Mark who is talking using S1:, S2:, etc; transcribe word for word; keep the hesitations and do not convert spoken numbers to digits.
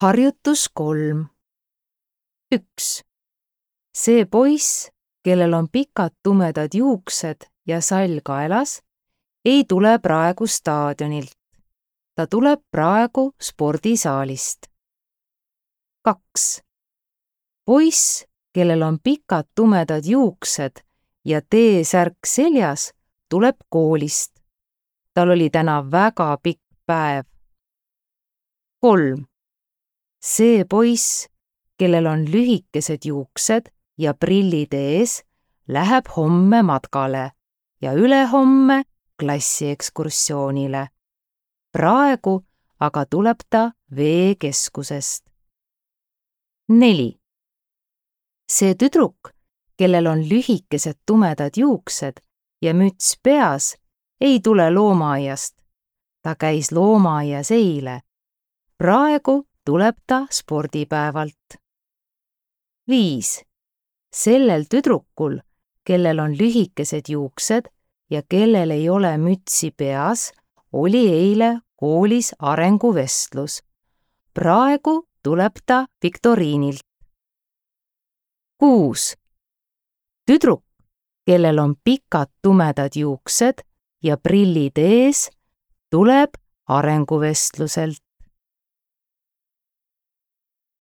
S1: Harjutus kolm. üks. See poiss, kellel on pikad tumedad juuksed ja sall kaelas, ei tule praegu staadionilt. Ta tuleb praegu spordisaalist. kaks. Poiss, kellel on pikad tumedad juuksed ja T-särk seljas, tuleb koolist. Tal oli täna väga pikk päev. kolm. See poiss, kellel on lühikesed juuksed ja prillid ees, läheb homme matkale ja ülehomme klassiekskursioonile. Praegu aga tuleb ta veekeskusest. neli. See tüdruk, kellel on lühikesed tumedad juuksed ja müts peas, ei tule loomaaiast. Ta käis loomaaias eile. Praegu tuleb ta spordipäevalt. viis. Sellel tüdrukul, kellel on lühikesed juuksed ja kellel ei ole mütsi peas, oli eile koolis arenguvestlus. Praegu tuleb ta viktoriinilt. kuus. Tüdruk, kellel on pikad tumedad juuksed ja prillid ees, tuleb arenguvestluselt.